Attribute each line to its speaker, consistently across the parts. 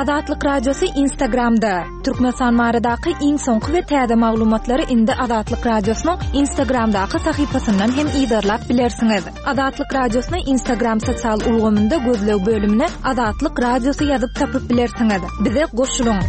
Speaker 1: Azatlyk Radiosy Instagramda. Türkmenistan baradaky iň soňky we täze maglumatlary indi Azatlyk Radiosynyň Instagramdaky sahypasyndan hem yzarlap bilersiňiz. Azatlyk Radiosyny Instagram sosial ulgamynda gözleg bölümine Azatlyk Radiosy ýazyp tapyp bilersiňiz. Bize goşulyň!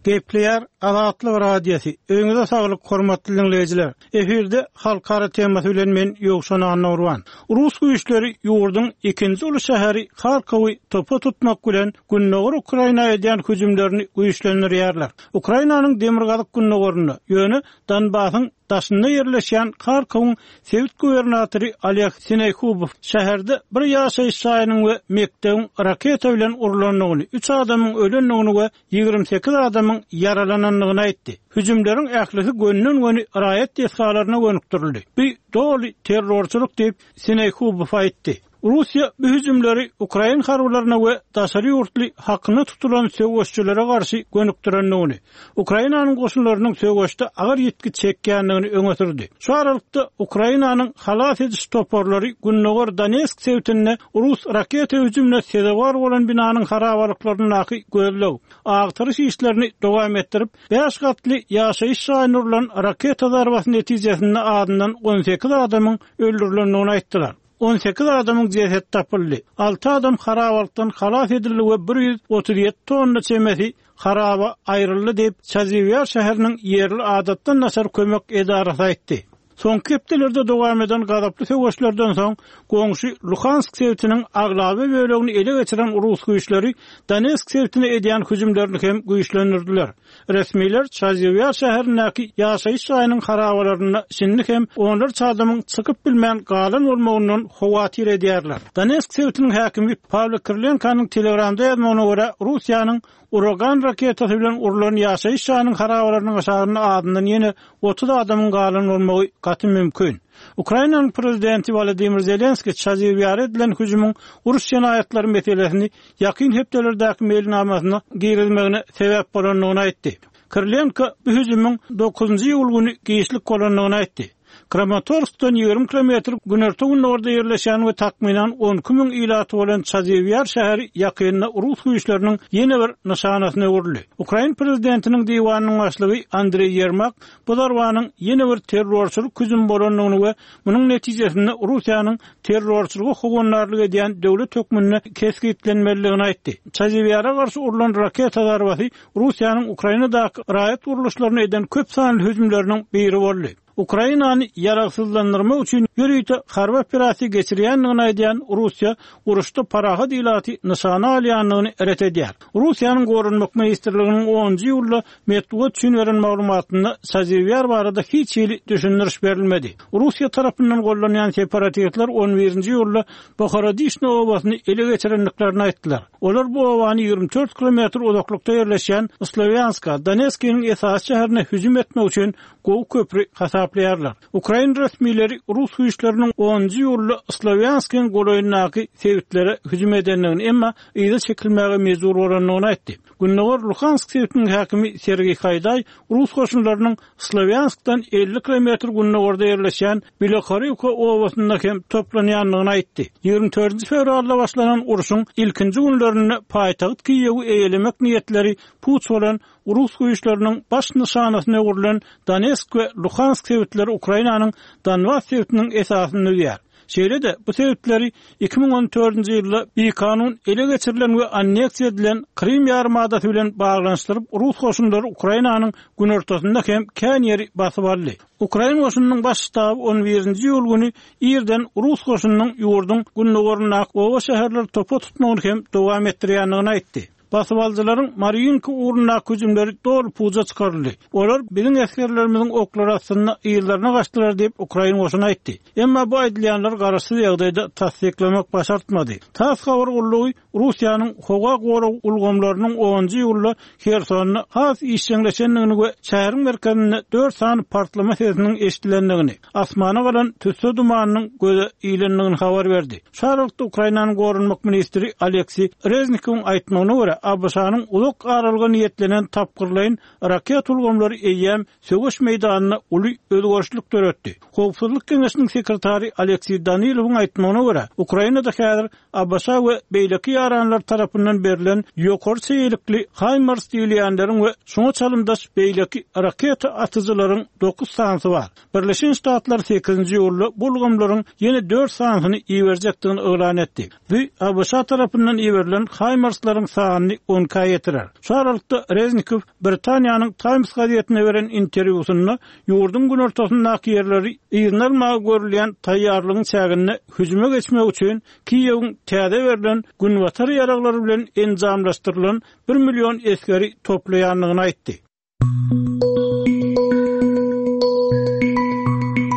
Speaker 2: Gepleýär Azatlyk Radiosy. Öýüňize saglyk, hormatly diňleýjiler! Efirde Halkara temasy bilen men Ýowşan Annagurban. Rus güýçleri ýurduň ikinji uly şäheri Harkowy topa tutmak bilen gündogar Ukraina edýän hüjümlerini güýçlendirýärler. Ukrainanyň demirgazyk-gündogarynda, ýöne Donbasyň daşynda ýerleşýän Harkowyň sebit gubernatory Oleg Sinehubow şäherde bir ýaşaýyş jaýynyň we mekdebiň raketa bilen urlandygyny, üç adamyň ölendigini we 28 adamyň ýaralanandygyny aýtdy. Hüjümleriň ählisi gönden-göni raýat desgalaryna gönükdirildi. Bu doly terrorçylyk diýip, Sinehubow aýtdy. Russiýa bu hüjümleri ukrain harbylaryna we daşary ýurtly hakyna tutulan söweşçilere garşy gönükdirendigini, Ukrainanyň goşunlarynyň söweşde agyr ýitgi çekýändigini öňe sürdi. Şu aralykda, Ukrainanyň halas ediş toparlary gündogar Donetsk sebitinde rus raketa hüjümine sezewar bolan binanyň harabalyklaryndaky gözleg, agtaryş işlerini dowam etdirip, bäş gatly ýaşaýyş jaýyna urlan raketa zarbasy netijesinde azyndan 18 adamyň öldürilendigini aýtdylar. 18 adamyň jesedi tapyldy, alty adam harabalykdan halas edildi we 137 tonna çemesi haraba aýryldy diýip, Çaziwýar şäheriniň ýerli adatdan daşary kömek edarasy aýtdy. Soňky hepdelerde dowam eden gazaply söweşlerden soň, goňşy Luhansk sebitiniň aglaba bölegini ele geçiren rus güýçleri Donetsk sebitine edýän hüjümlerini hem güýçlendirdiler. Resmiler Çaziwýar şäherindäki ýaşaýyş jaýynyň harabalarynda şindi hem onlarça adamyň çykyp bilmän galan bolmagyndan howatyr edýärler. Donetsk sebitiniň häkimi Pawlo Kirilenkonyň Telegramda ýazmagyna görä, Russiýanyň Uragan raketasy bilen urlan ýaşaýyş jaýynyň harabalarynyň aşagynda azyndan ýene 30 adamyň galan bolmagy gaty mümkin. Ukrainanyň prezidenti Wolodymyr Zelenskiý Çaziwýara edilen hüjümiň uruş jenaýatlary meselesini ýakyn hepdelerdäki meýilnamasyna girizmegine sebäp bolandygyny aýtdy. Kirilenko bu hüjümiň dokuzynjy iýul güni giçlik bolandygyny aýtdy. Kramatorskdan 20 kilometr günorta-gündogarda ýerleşýän we takmynan 12 müň ilaty bolan Çaziwýar şäheri ýakynda rus güýçleriniň ýene bir nyşanasyna öwrüldi. Ukrain prezidentiniň diwanynyň başlygy Andreý Ýermak bu zarbanyň ýene bir terrorçylyk hüjümi bolandygyny we munuň netijesinde Russiýanyň terrorçylyga howandarlyk edýän döwlet hökmünde kesgitlenmelidigini aýtdy. Çaziwýara garşy urlan raketa zarbasy Russiýanyň Ukrainadaky raýat gurluşlaryna eden köp sanly hüjümleriniň biri boldy. Ukrainany ýaragsyzlandyrmak üçin ýörite harby operasiýa geçirýändigini aýdýan Russiýa uruşda parahat ilaty nyşana alýandygyny ret edýär. Russiýanyň Goranmak ministrliginiň onunjy iýulda metbugat üçin beren maglumatynda Çaziwýar barada hiç hili düşündiriş berilmedi. Russiýa tarapyndan gollanýan separatistler on birinji iýulda Bohorodişno obasyny ele geçirendiklerini aýtdylar. Olar bu obany 24 kilometr uzaklykda ýerleşýän Slowýanska, Donetskiniň esasy şäherine hüjüm etmek üçin gowy köpri hasaplaýarlar. Ukrain resmileri rus güýçleriniň onunjy iýulda Slowýanskiň golaýyndaky sebitlere hüjüm edendigini, emma yza çekilmäge mejbur bolandygyny aýtdy. Gündogar Luhansk sebitiniň häkimi Sergeý Haýdaý rus goşunlarynyň Slowýanskdan 50 kilometr gündogarda ýerleşýän Bilohorivka obasynda hem toplanýandygyny aýtdy. 24 fewralda başlanan urşuň ilkinji günlerinde paýtagt Kiýewi eýelemek niýetleri puç bolan rus güýçleriniň baş nyşanasyna öwrülen Donetsk we Luhansk sebitleri Ukrainanyň Donbas sebitiniň esasyny düzýär. Şeýle-de, bu sebitleri 2014-nji ýylda bikanun ele geçirilen we anneksiýa edilen Krym ýarymadasy bilen baglanyşdyryp, rus goşunlary Ukrainanyň günortasynda hem kän ýeri basyp aldy. Ukrain goşunynyň baş ştaby on birinji iýul güni irden rus goşunynyň ýurduň gündogaryndaky oba-şäherleri topa tutmagyny hem dowam etdirýändigini aýtdy. Basybalyjylaryň Marýinka ugrundaky hüjümleri doly puja çykaryldy. Olar biziň esgerlerimiziň oklary astynda yzlaryna gaçdylar diýip, ukrain goşuny aýtdy. Emma bu aýdylýanlary garaşsyz ýagdaýda tassyklamak başartmady. Tass habar gullugy Russiýanyň howa gorag ulgamlarynyň onunjy iýulda Hersonda has işjeňleşendigini we şäheriň merkezinde dört sany partlama sesiniň eşidilendigini, asmana galan tüsse dumanynyň göze ilendigini habar berdi. Şu aralykda, Ukrainanyň goranmak ministri Oleksiý Reznikowyň aýtmagyna görä, ABŞ-nyň uzak aralyga niýetlenen tapgyrlaýyn raketa ulgamlary eýýäm söweş meýdanynda uly özgerişlik döretdi. Howpsuzlyk geňeşiniň sekretary Alekseý Danilowyň aýtmagyna görä, Ukrainada häzir ABŞ we beýleki ýaranlar tarapyndan berlen ýokary çeýelikli HIMARS diýilýänleriň we şuňa çalymdaş beýleki raketa atyjylaryň dokuz sanysy bar. Birleşen Ştatlar sekizinji iýulda bu ulgamlaryň ýene dört sanysyny iberjekdigini yglan etdi. Bu ABŞ tarapyndan iberilen HIMARS-laryň sanyny on ikä ýetirer. Şu aralykda Reznikow Britaniýanyň Times gazetine beren interwýusynda ýurduň günortasyndaky ýerleri yzyna almaga görülýän taýýarlygyň çäginde hüjüme geçmek üçin Kiýewiň täze berlen günbatar ýaraglary bilen enjamlaşdyrylan bir million esgeri toplaýandygyny aýtdy.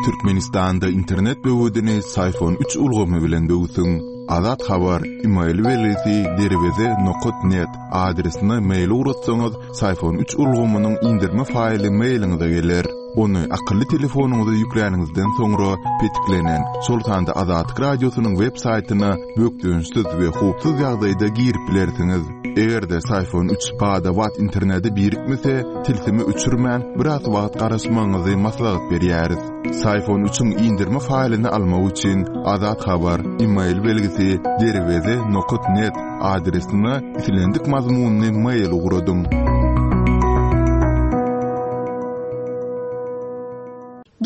Speaker 3: Türkmenistanda internet böwedini Syfon üç ulgamy bilen böwsüň. Azat Habar, email belgisi derweze nokat net adresine mail ugratsaňyz, Syfon üç ulgamynyň indirme faýly mailiňize geler. Ony akylly telefonyňyza ýükläniňizden soňra petiklenen, şol sanda Azatlyk Radiosynyň web saýtyna bökdençsiz we howpsuz ýagdaýda girip bilersiňiz. Eger-de Syfon üç bada-bat internete birikmese, tilsimi öçürmän, biraz wagt garaşmagyňyzy maslahat berýäris. Syfon üçiň indirme faýlyny almak üçin Azat Habar, email belgisi derweze nokat net adresine islendik mazmunly mail ugradyň.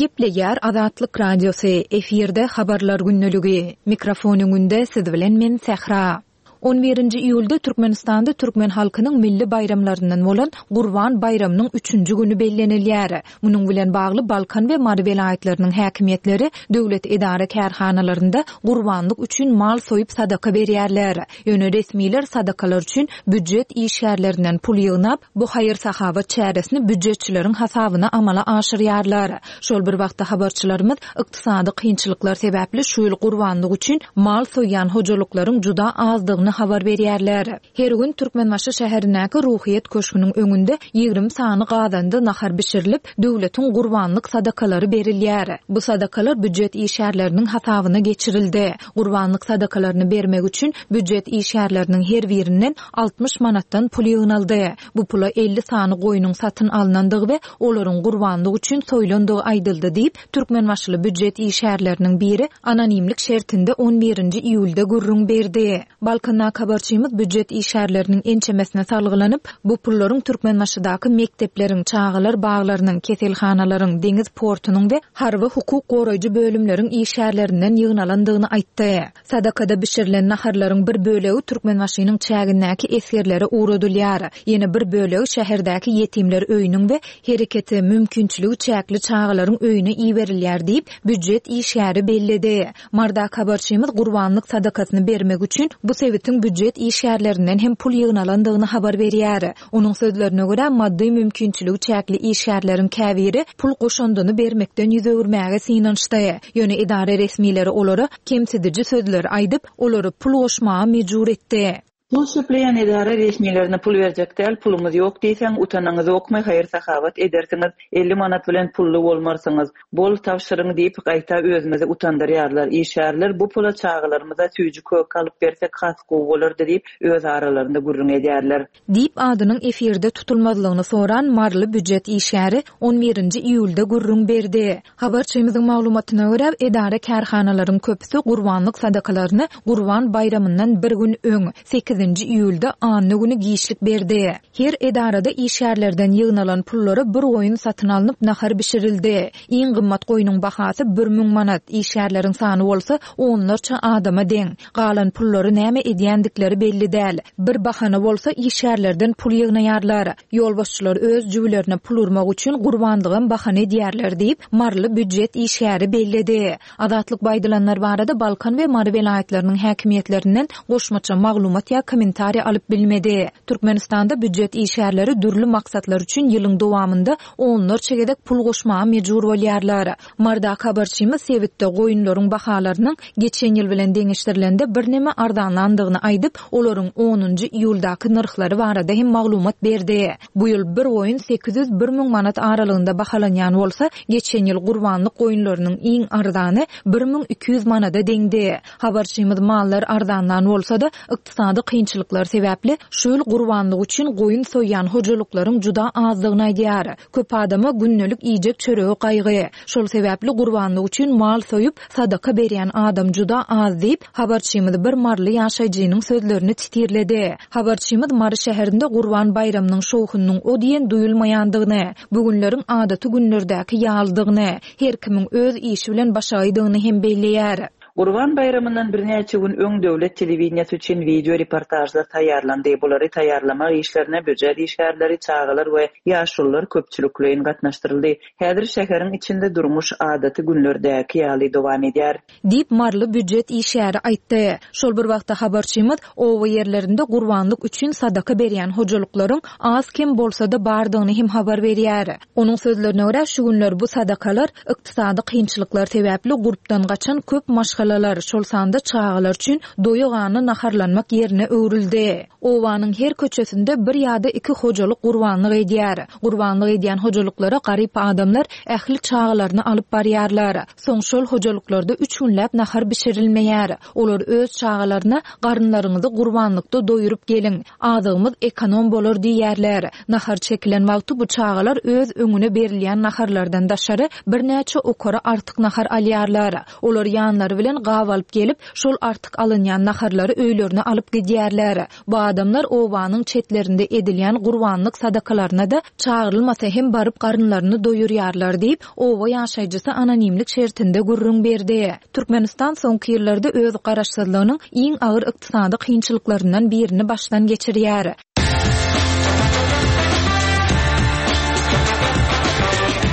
Speaker 1: Gepleýär Azatlyk Radiosy, efirde Habarlar gündeligi. Mikrofon öňünde siz bilen men Sähra. On birinji iýulda Türkmenistanda türkmen halkynyň milli baýramlaryndan bolan Gurban baýramynyň üçünji güni bellenilýär. Munuň bilen bagly Balkan we Mary welaýatlarynyň häkimiýetleri döwlet edara-kärhanalarynda gurbanlyk üçin mal soýup sadaka berýärler. Ýöne resmiler sadakalar üçin býujet işgärlerinden pul ýygnap, bu haýyr-sahawat çäresini býujetçileriň hasabyna amala aşyrýarlar. Şol bir wagtda habarçylarymyz ykdysady kynçylyklar sebäpli şu ýyl gurbanlyk üçin mal soýýan hojalyklaryň juda azdygyny habar berýärler. Her gün Türkmenbaşy şäherindäki Ruhyýet köşgüniň öňünde 20 sany gazanda nahar bişirilip, döwletiň gurbanlyk sadakalary berilýär. Bu sadakalar býujet işgärleriniň hasabyna geçirildi. Gurbanlyk sadakalaryny bermek üçin býujet işgärleriniň her birinden 60 manatdan pul ýygnaldy. Bu pula 50 sany goýnuň satyn alnandygy we olaryň gurbanlyk üçin soýlandygy aýdyldy diýip, türkmenbaşyly býujet işgärleriniň biri anonimlik şertinde on birinji iýulda gürrüň berdi. Balkandaky habarçymyz býujet işgärleriniň ençemesine salgylanyp, bu pullaryň Türkmenbaşydaky mekdepleriň, çagalar baglarynyň, keselhanalaryň, deňiz portunyň we harby hukuk goraýjy bölümleriň işgärlerinden ýygnalandygyny aýtdy. Sadakada bişirilen naharlaryň bir bölegi Türkmenbaşynyň çägindäki esgerlere ugradylýar. Ýene bir bölegi şäherdäki ýetimler öýüniň we hereketi, mümkinçiligi çäkli çagalaryň öýüne iberilýär diýip, býujet işgäri belledi. Mardaky habarçymyz gurbanlyk sadakasyny bermek üçin bu sebitiň býujet işgärlerinden hem pul ýygnalandygyny habar berýär. Onuň sözlerine görä, maddy mümkinçiligi çäkli işgärleriň käbiri pul goşandyny bermekden ýüz öwürmäge synanyşdy. Ýöne edara resmileri olara kemsidiji sözleri aýdyp, olary pul goşmaga mejbur etdi.
Speaker 4: Pul çöpleýän edara resmilerine pul berjek däl, pulumyz ýok diýseň, utanaňyzokmy, haýyr-sahawat edersiňiz, 50 manat bilen pully bolmarsyňyz, bol tabşyryň diýip, gaýta özümizi utandyrýarlar. Işgärler bu pula çagalarymyza süýji-köke alyp bersek has gowy bolardy diýip, öz aralarynda gürrüň edýärler.
Speaker 1: Diýip, adynyň efirde tutulmazlygyny soran maryly býujet işgäri on birinji iýulda gürrüň berdi. Habarçymyzyň maglumatyna görä, edara-kärhanalaryň köpüsi gurbanlyk sadakalaryny Gurban baýramyndan bir gün öň, sekizinji iýulda anna güni giçlik berdi. Her edarada işgärlerden ýygnalan pullara bir goýun satyn alnyp nahar bişirildi. Iň gymmat goýnuň bahasy 1000 manat, işgärleriň sany bolsa onlarça adama deň. Galan pullary näme edýändikleri belli däl. Bir bahana bolsa işgärlerden pul ýygnaýarlar. Ýolbaşçylar öz jübülerine pul urmak üçin gurbanlygam bahana edýärler diýip, maryly býujet işgäri belledi. Azatlyk bu aýdylanlar barada Balkan we Mary welaýatlarynyň häkimiýetlerinden goşmaça maglumat ýa kommentariý alyp bilmedi. Türkmenistanda býujet işgärleri dürli maksatlar üçin ýylyň dowamynda onlarça gezek pul goşmaga mejbur bolýarlar. Mardaky habarçymyz sebitde goýunlaryň bahalarynyň geçen ýyl bilen deňeşdirilende birneme arzanlandygyny aýdyp, olaryň onunjy iýuldaky nyrhlary barada hem maglumat berdi. Bu ýyl bir goýun 801 manat aralygynda bahalanýan bolsa, geçen ýyl gurbanlyk goýunlarynyň iň arzany 1200 manada deňdi. Habarçymyz mallar arzanlan bolsa-da, ykdysady kynçylyklar. kynçylyklar sebäpli şu ýyl gurbanlyk üçin goýun soýýan hojalyklaryň juda azdygyny aýdýar. Köp adama gündelik iýjek çöregi gaýgy. Şol sebäpli gurbanlyk üçin mal soýup, sadaka berýän adam juda az diýip, habarçymyz bir maryly ýaşaýjynyň sözlerini titirledi. Habarçymyz Mary şäherinde Gurban baýramynyň şowhunynyň o diýen duýulmaýandygyny, bu günleriň adaty günlerdäki ýalydygyny, her kimiň öz işi bilen başagaýdygyny hem belleýär.
Speaker 4: Gurban baýramyndan birnäçe gün öň döwlet telewideniýesi üçin wideo reportažlar taýýarlandy. Bulary taýýarlamak işlerine býujet işgärleri, çagalar we ýaşulular köpçülikleýin gatnaşdyryldy. Häzir şäheriň içinde durmuş adaty günlerdäki ýaly dowam edýär.
Speaker 1: Diýip, maryly býujet işgäri aýtdy. Şol bir wagtda habarçymyz oba ýerlerinde gurbanlyk üçin sadaka berýän hojalyklaryň az-kem bolsa-da bardygyny hem habar berýär. Onuň sözlerine görä, şu günler bu sadakalar ykdysady kynçylyklar sebäpli gurpdan gaçan köp maşgalalar, şol sanda çagalar üçin doýa-gana naharlanmak ýerine öwrüldi. Obanyň her köçesinde bir ýa-da iki hojalyk gurbanlyk edýär. Gurbanlyk edýän hojalyklara garyp adamlar ähli çagalaryny alyp barýarlar. Soň şol hojalyklarda üç günläp nahar bişirilmeýär. Olar öz çagalaryna Garynlaryňyzy gurbanlykda doýuryp geliň, azygymyz ekonom bolar diýýärler. Nahar çekilen wagty bu çagalar öz öňüne berilýän naharlardan daşary birnäçe okara artyk nahar alýarlar. Olar ýanlary bilen gap alyp gelip, şol artyk alynýan naharlary öýlerine alyp gidýärler. Bu adamlar obanyň çetlerinde edilýän gurbanlyk sadakalaryna-da çagyrylmasa hem baryp garynlaryny doýurýarlar diýip, oba ýaşaýjysy anonimlik şertinde gürrüň berdi. Türkmenistan soňky ýyllarda öz garaşsyzlygynyň iň agyr ykdysady kynçylyklaryndan birini başdan geçirýär.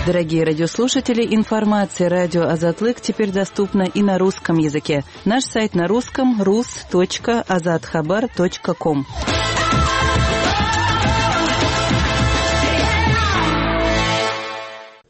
Speaker 4: Дорогие радиослушатели, информация радио Азатлык теперь доступна и на русском языке. Наш сайт на русском rus.azathabar.com.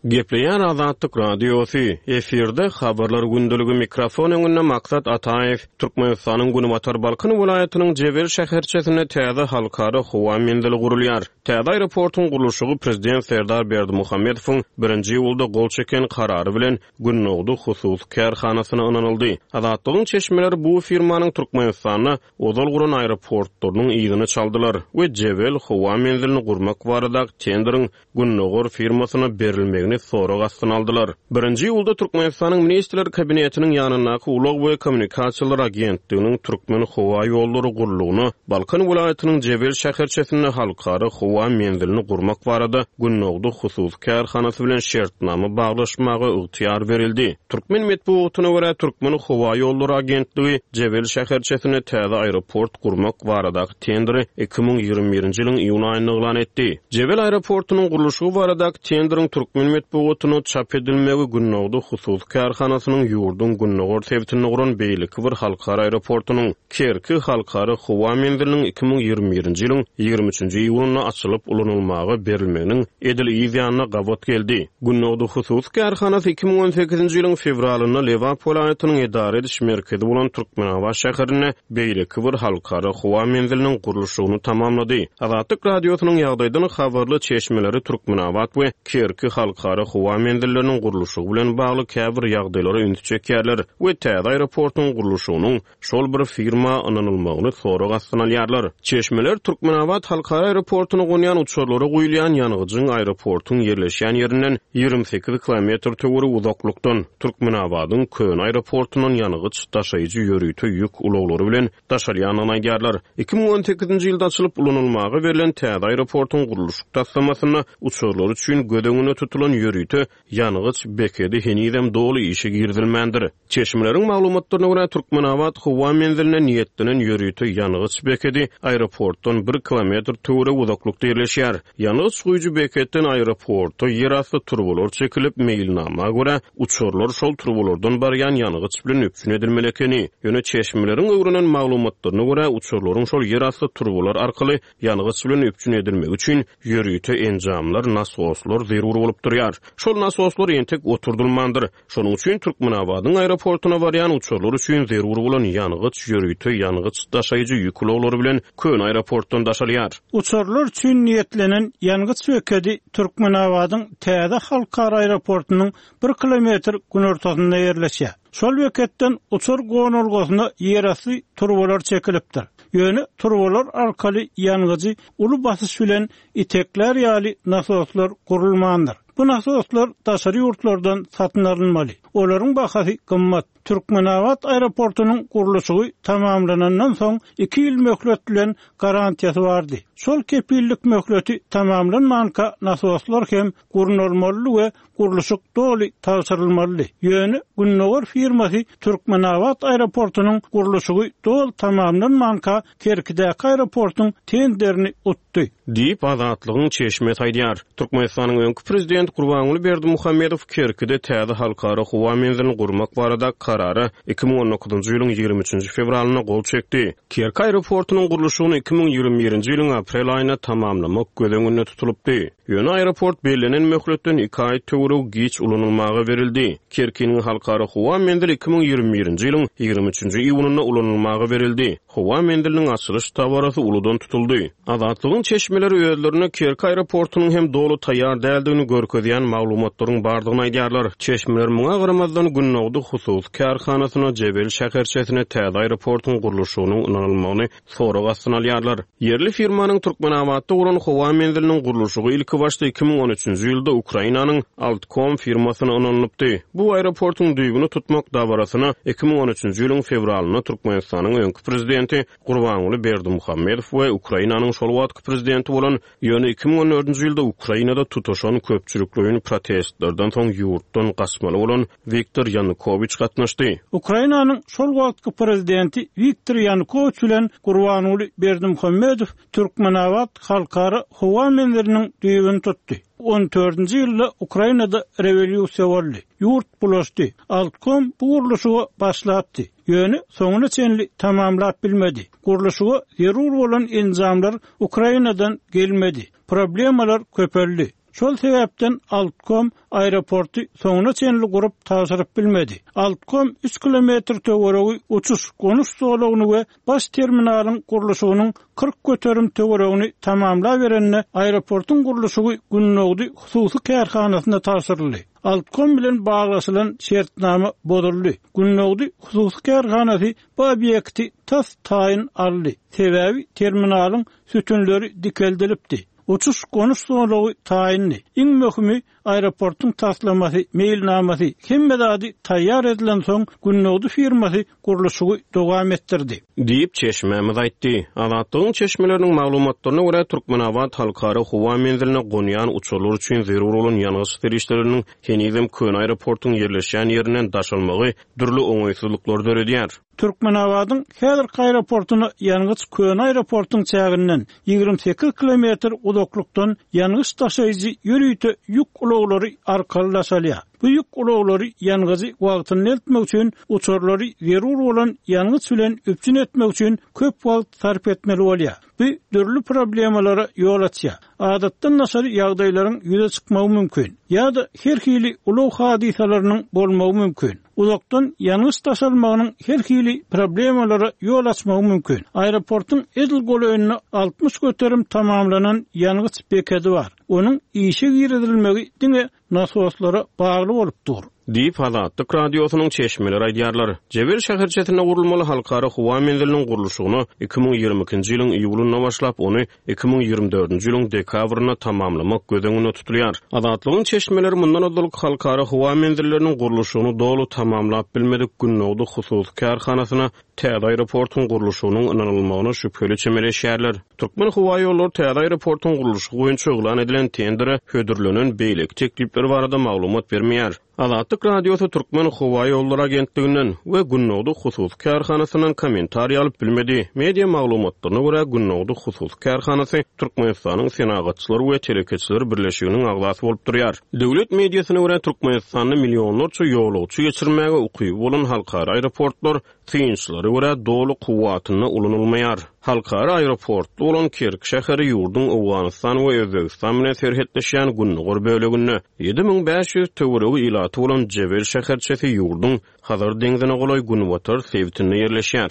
Speaker 5: Gepleýär Azatlyk Radiosy, efirde Habarlar gündeligi mikrofon öňünde Maksat Ataýew, Türkmenistanyň Günbatar Balkan welaýatynyň Jebel şäherçesinde täze halkara howa menzili gurulýar. Täze aeroportuň gurluşygy prezident Serdar Berdimuhamedowyň birinji iýulda gol çeken karary bilen Gündogdy hususy kärhanasyna ynanyldy. Azatlygyň çeşmeleri bu firmanyň Türkmenistanda ozal guran aeroportlarynyň yzyny çaldylar we Jebel howa menzilini gurmak baradaky tenderiň Gündogar firmasyna berilmegini sorag astyna aldylar. Birinji iýulda Türkmenistanyň Ministrler Kabinetiniň ýanyndaky Ulag we kommunikasiýalar agentliginiň Türkmenhowaýollary gullugyna Balkan welaýatynyň Jebel şäherçesinde halkara howa menzilini gurmak barada Gündogdy hususy kärhanasy bilen şertnama baglaşmaga ygtyýar berildi. Türkmen metbugatyna görä, Türkmenhowaýollary agentligi Jebel şäherçesinde täze aeroport gurmak baradaky tenderi 2021-nji ýylyň iýun aýynda yglan etdi. Jebel aeroportunyň gurluşygy baradaky tenderiň türkmen metbugatynda çap edilmegi Gündogdy hususy kärhanasynyň ýurduň gündogar sebitinde guran beýleki bir halkara aeroportunyň, Kerki halkara howa menziliniň 2021-nji ýylyň 23-nji iýunynda açylyp ulanylmaga berilmeginiň edil yz ýanyna gabat geldi. Gündogdy hususy kärhanasy 2018-nji ýylyň fewralynda Lebap welaýatynyň edara ediş merkezi bolan Türkmenabat şäherinde beýleki bir halkara howa menziliniň gurluşygyny tamamlady. Azatlyk Radiosynyň ýagdaýdan habarly çeşmeleri Türkmenabat we Kerki halkara howa menzilleriniň gurluşygy bilen bagly käbir ýagdaýlara ünsi çekýärler we täze aeroportuň gurluşygynyň şol bir firma ynanylmagyny sorag astyna alýarlar. Çeşmeler Türkmenabat halkara aeroportuna gonýan uçarlara guýulýan ýangyjyň aeroportuň ýerleşýän ýerinden 28 kilometr töweregi uzaklykdan, Türkmenabadyň köne aeroportundan ýangyç daşaýjy ýörite ýük ulaglary bilen daşalýandygyny aýdýarlar. 2018-nji ýylda açylyp ulanylmaga berlen täze aeroportuň gurluşyk taslamasynda uçarlar üçin göz öňünde tutulan ýörite ýangyç bekedi henizem doly işe girizilmändir. Çeşmeleriň maglumatlaryna görä, Türkmenabat howa menziline niýetlenen ýörite ýangyç bekedi aeroportdan bir kilometr töweregi uzaklykda ýerleşýär. Ýangyç guýujy beketden aeroporta ýerasty turbalar çekilip, meýilnama görä, uçarlar şol turbalardan barýan ýangyç bilen üpjün edilmeli ekeni. Ýöne çeşmeleriň öwrenen maglumatlaryna görä, uçarlaryň şol ýerasty turbalar arkaly ýangyç bilen üpjün edilmegi üçin ýörite enjamlar, nasoslar zerur bolup durýar. Şol nasoslar entek oturdylmandyr. Şonuň üçin Türkmenabadyň aeroportuna barýan uçarlar üçin zerur bolan ýangyç ýörite ýangyç daşaýjy ýük ulaglary bilen köne aeroportdan daşalýar.
Speaker 2: Uçarlar üçin niýetlenen ýangyç bekedi Türkmenabadyň täze halkara aeroportunyň bir kilometr günortasynda ýerleşýär. Şol beketden uçar gonalgasyna ýerasty turbalar çekilipdir. Ýöne turbalar arkaly ýangyjy uly basyş bilen iteklär ýaly nasoslar gurulmandyr. Bu nasoslar daşary ýurtlardan satyn alynmaly. Olaryň bahasy gymmat. Türkmenabat aeroportunyň gurluşygy tamamlanandan soň iki ýyl möhlet bilen garantiýasy bardy. Şol kepillik möhleti tamamlanmanka nasoslar hem gurnalmalydy we gurluşyk doly tabşyrylmalydy. Ýöne Gündogar firmasy Türkmenabat aeroportunyň gurluşygy doly tamamlanmanka Kerkidäki aeroportuň tenderini utdy.
Speaker 5: Diýip, Azatlygyň çeşmesi aýdýar. Türkmenistanyň öňki prezidenti Gurbanguly Berdimuhamedow Kerkide täze halkara howa menzilini gurmak barada Karara 2019-njy ýylyň 23-nji fewralynda gol çekdi. Kerki aeroportunyň gurluşygyny 2021-nji ýylyň aprel aýynda tamamlamak göz öňünde tutulypdy. Ýöne aeroport bellenen möhletden iki aý töweregi giç ulanylmaga berildi. Kerkiniň halkara howa menzili 2021-nji ýylyň 23-nji iýunynda ulanylmaga berildi. Howa menziliniň açylyş dabarasy uludan tutuldy. Azatlygyň çeşmeleri özlerinde Kerki aeroportunyň hem doly taýýar däldigini görkezýän maglumatlaryň bardygyny aýdýarlar. Çeşmeler muňa garamazdan, Gündogdy hususy kärhanasyna Jebel şäherçesine täze aeroportuň gurluşygynyň ynanylmagyny sorag astyna alýarlar. Ýerli firmanyň Türkmenabatda guran howa menziliniň gurluşygy ilkibaşda 2013-nji ýylda Ukrainanyň Altkom firmasyna ynanylypdy. Bu aeroportuň düýbüni tutmak dabarasyna 2013-nji ýylyň fewralynda Türkmenistanyň öňki prezidenti Gurbanguly Berdimuhamedow we Ukrainanyň şol wagtky prezidenti bolan Ýöne 2014-nji ýylda Ukrainada tutaşan köpçülikleýin protestlerden soň ýurtdan gaçmaly bolan Wiktor Ýanukowiç gatnaşdy.
Speaker 2: Ukrainanyň şol wagtky prezidenti Wiktor Ýanukowiç bilen Gurbanguly Berdimuhamedow Türkmenabat halkara howa menziliniň düýbüni tutdy. On dördünji ýylda Ukrainada rewolýusiýa boldy. Ýurt bulaşdy. Altkom bu gurluşyga başlapdy. Ýöne soňuna çenli tamamlap bilmedi. Gurluşyga zerur bolan enjamlar Ukrainadan gelmedi. Problemalar köpeldi. Şol sebäpden Altkom aeroporty soňuna çenli gurup tabşyryp bilmedi. Altkom üç kilometr töweregi uçuş-gonuş zolagyny we baş terminalyň gurluşygynyň 40% töweregini tamamlaberende aeroportuň gurluşygy Gündogdy hususy kärhanasyna tabşyryldy. Altkom bilen baglaşylan şertnama bozuldy. Gündogdy hususy kärhanasy bu obýekti tas taýyn aldy. Sebäbi terminalyň sütünleri dikeldilipdi. Uçuş-gonuş zolagy taýyndy. Iň möhümi, aeroportuň taslamasy, meýilnamasy, hemme zady taýýar edilensoň, Gündogdy firmasy gurluşygy dowam etdirdi.
Speaker 5: Diýip, çeşmämiz aýtdy. Azatlygyň çeşmeleriniň maglumatlaryna görä, Türkmenabat halkara howa menziline gonýan uçarlar üçin zerur bolan ýangyç serişdeleriniň henizem köne aeroportuň ýerleşýän ýerinden daşalmagy dürli oňaýsyzlyklary döredýär.
Speaker 2: Türkmenabadyň häzirki aeroportuna ýangyç köne aeroportuň çäginden 28 kilometr uzaklykdan ýangyç daşaýjy ýörite ýük ulaglary arkaly daşalýar. Bu ýük ulaglary ýangyjy wagtynda eltmek üçin uçarlary zerur bolan ýangyç bilen üpjün etmek üçin köp wagt sarp etmeli bolýar. Bu dürli problemalara ýol açýar. Adatdan daşary ýagdaýlaryň ýüze çykmagy mümkin. Ýa-da her hili ulag hadysalarynyň bolmagy mümkin. Uzakdan ýangyç daşalmagynyň her hili problemalara ýol açmagy mümkin. Aeroportuň edil golaýynda 60% tamamlanan ýangyç bekedi bar. Onuň işe girizilmegi diňe nasoslara bagly bolup dur.
Speaker 5: Diýip, Azatlyk Radiosynyň çeşmeleri aýdýarlar. Jebel şäherçesinde gurulmaly halkara howa menziliniň gurluşygyna 2022-nji ýylyň iýulynda başlap, ony 2024-nji ýylyň dekabrynda tamamlamak göz öňünde tutulýar. Azatlygyň çeşmeleri mundan ozalky halkara howa menzilleriniň gurluşygyny doly tamamlap bilmedik Gündogdy hususy kärhanasyna täze aeroportuň gurluşygynyň ynanylmagyna şübheli çemeleşýärler. Türkmenhowaýollary täze aeroportuň gurluşygy boýunça yglan edilen tendere hödürlenen beýleki teklipler barada maglumat bermeýär. Azatlyk Radiosy Türkmenhowaýollary agentliginden we Gündogdy hususy kärhanasyndan kommentariý alyp bilmedi. Media maglumatlaryna görä, Gündogdy hususy kärhanasy Türkmenistanyň Senagatçylar we telekeçiler birleşiginiň agzasy bolup durýar. Döwlet mediasyna görä, Türkmenistanda millionlarça ýolagçy geçirmäge ukyby bolan halkara aeroportlar synçylara görä doly kuwwatynda ulanylmaýar. Halkara aeroportly bolan Kerki şäheri ýurduň Owganystan we Özbegistan bilen serhetleşýän gündogar böleginde, 7500 töweregi ilaty bolan Jebel şäherçesi ýurduň Hazar deňzine golaý günbatar sebitinde ýerleşýär.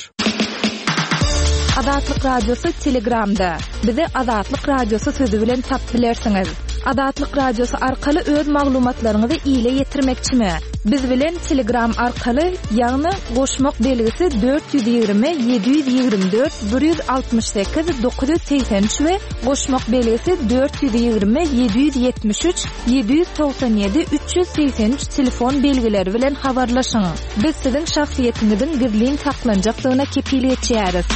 Speaker 1: Azatlyk Radiosy Telegramda. Bizi Azatlyk Radiosy sözi bilen tap bilersiňiz. Azatlyk Radiosy arkaly öz maglumatlaryňyzy ile ýetirmekçimi? Biz bilen Telegram arkaly, ýagny goşmak belgisi 420 724 168 983 we goşmak belgisi 420 773 797 383 telefon belgileri bilen habarlaşyň. Biz siziň şahsyýetiňiziň gizlin saklanjakdygyna kepil geçýäris.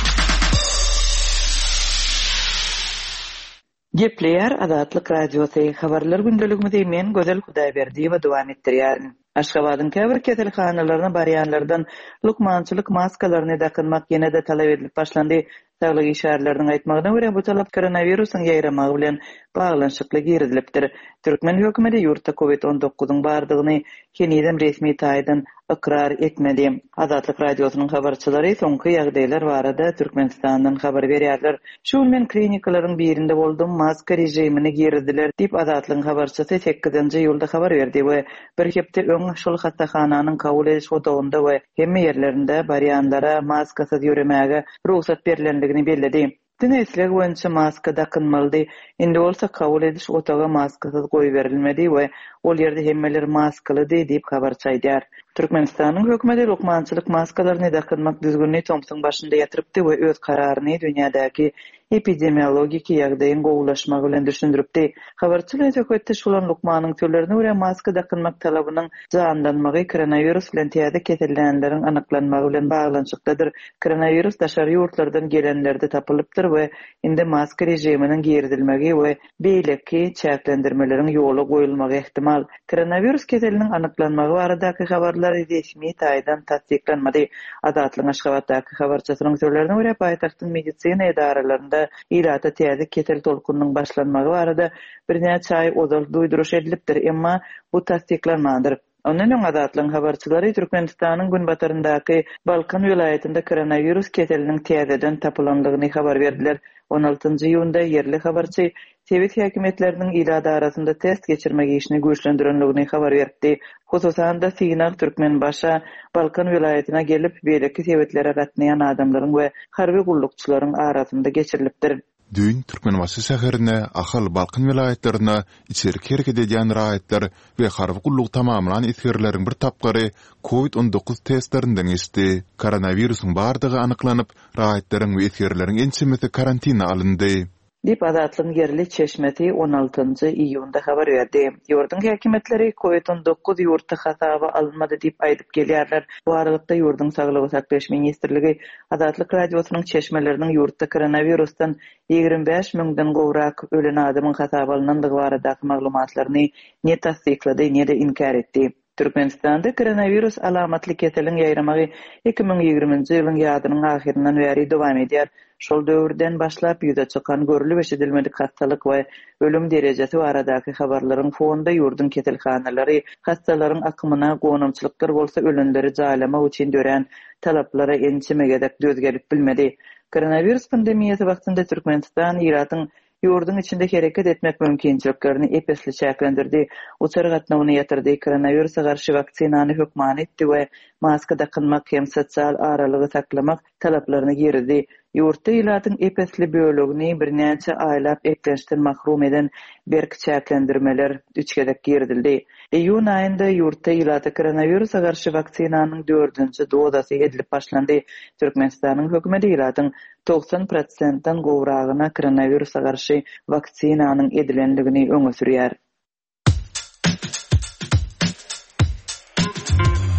Speaker 4: Gepleýär Azatlyk Radiosy, Habarlar gündeligimizi men Gözel Hudaýberdiýewa dowam etdirýärin. Aşgabadyň käbir keselhanalaryna barýanlardan lukmançylyk maskalaryny dakynmak ýene-de talap edilip başlandy. Saglyk işgärleriniň aýtmagyna görä, bu talap koronawirusyň ýaýramagy bilen baglanyşykly girizilipdir. Türkmen hökümeti ýurtda covid on dokuzyň bardygyny henizem resmi taýdan ykrar etmedi. Azatlyk Radiosynyň habarçylary soňky ýagdaýlar barada Türkmenistandan habar berýärler. Şu gün men klinikalaryň birinde boldum, maska režimini girizdiler diýip, Azatlygyň habarçysy sekizinji iýulda habar berdi we bir hepde öň şol hassahananyň kabul ediş otagynda we hemme ýerlerinde barýanlara maskasyz ýöremäge rugsat berlendigini belledi. Diňe isleg boýunça maska dakynmalydy. Indi bolsa kabul ediş otaga maskasyz goýberilmedi we ol ýerde hemmeler maskalydy diýip, habarçy aýdýar. Türkmenistanyň hökümeti lukmançylyk maskalaryny dakynmak düzgünini tomsuň başynda ýatyrypdy we öz kararyny dünýädäki epidemiologiki ýagdaýyň gowulaşmagy bilen düşündiripdi. Habarçy bilen söhbetdeş bolan lukmanyň sözlerine görä, maska dakynmak talabynyň janlanmagy koronawirus bilen täze kesellänleriň anyklanmagy bilen baglanyşyklydyr. Koronawirus daşary ýurtlardan gelenlerde tapylypdyr we indi maska režiminiň girizilmegi we beýleki çäklendirmeleriň ýola goýulmagy ähtimal. Koronawirus keseliniň anyklanmagy baradaky habarlar resmi taýdan tassyklanmady. Azatlygyň Aşgabatdaky habarçysynyň sözlerine görä, paýtagtyň medisina edaralarynda ilata täze kesel tolkunynyň başlanmagy barada birnäçe aý ozal duýduryş edilipdir, emma bu tassyklanmandyr. Ondan öň Azatlygyň habarçylary Türkmenistanyň günbataryndaky Balkan welaýatynda koronawirus keseliniň täzeden tapylandygyny habar berdiler. On altynjy iýunda ýerli habarçy sebit häkimiýetleriniň ilat arasynda test geçirmek işini güýçlendirendigini habar beripdi. Hususan-da, synag Türkmenbaşa, Balkan welaýatyna gelip, beýleki sebitlere gatnaýan adamlaryň we harby gullukçylaryň arasynda geçirilipdir.
Speaker 3: Düýn Türkmenbaşy şäherine, Ahal, Balkan welaýatlaryna içerki hereket edýän raýatlar we harby gullugy tamamlan esgerleriň bir tapgyry covid 19 testlerinden geçdi. Koronawirusyň bardygy anyklanyp, raýatlaryň we esgerleriň ençemesi karantina alyndy.
Speaker 4: Diýip, Azatlygyň ýerli çeşmesi on altynjy iýunda habar berdi. Ýurduň häkimiýetleri covid 19 ýurtda hasaba alynmady diýip aýdyp gelýärler. Bu aralykda, ýurduň Saglygy saklaýyş ministrligi Azatlyk Radiosynyň çeşmeleriniň ýurtda koronawirusdan 25 müňden gowrak ölen adamyň hasaba alnandygy baradaky maglumatlaryny ne tassyklady, ne-de inkär etdi. Türkmenistanda koronawirus alamatly keseliň ýaýramagy 2020-nji ýylyň ýazynyň ahyryndan bäri dowam edýär. Şol döwürden başlap ýüze çykan görlüp-eşidilmedik hassalyk we ölüm derejesi baradaky habarlaryň fonunda ýurduň keselhanalary hassalaryň akymyna, gonamçylyklar bolsa ölenleri jaýlamak üçin dörän talaplara ençeme gezek döz gelip bilmedi. Koronawirus pandemiýasy wagtynda Türkmenistan ilatyň ýurduň içinde hereket etmek mümkinçiliklerini ep-esli çäklendirdi, uçar gatnawyny ýatyrdy, koronawirusa garşy waksinany hökmany etdi we maska dakynmak hem sosial aralygy saklamak talaplaryny girizdi. Ýurtda ilatyň ep-esli bölegini birnäçe aýlap eklençden mahrum eden berk çäklendirmeler üç gezek girizildi. Iýun aýynda ýurtda ilata koronawirusa garşy waksinanyň dördünji dozasy edilip başlandy. Türkmenistanyň hökümeti ilatyň 90 prosentden gowragyna koronawirusa garşy waksinanyň edilendigini öňe sürýär.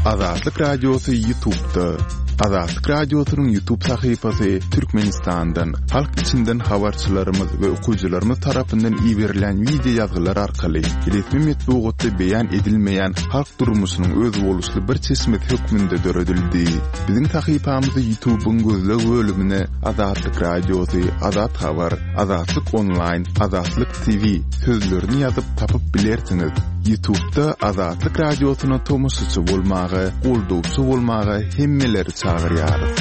Speaker 3: Azatlyk Radiosy Ýutubda. Azatlyk Radiosynyň Ýutub sahypasy Türkmenistandan, halk içinden habarçylarymyz we okyjylarymyz tarapyndan iberilen wideo ýazgylar arkaly resmi metbugatda beýan edilmeýän halk durmuşynyň özboluşly bir çeşmesi hökmünde döredildi. Biziň sahypamyzy Ýutubyň gözleg bölümine Azatlyk Radiosy, Azat Habar, Azatlyk Onlaýn, Azatlyk TV sözlerini ýazyp tapyp bilersiňiz. Ýutubda Azatlyk Radiosyna tomaşaçy bolmaga, goldawçy bolmaga hemmeleri çagyrýarys.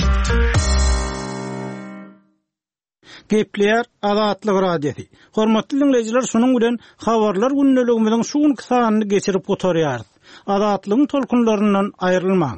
Speaker 2: Gepleýär Azatlyk Radiosy. Hormatly diňleýjiler, şunuň bilen Habarlar gündeligimiziň şu günki sanyny geçirip gutarýarys. Azatlygyň tolkunlaryndan aýrylmaň.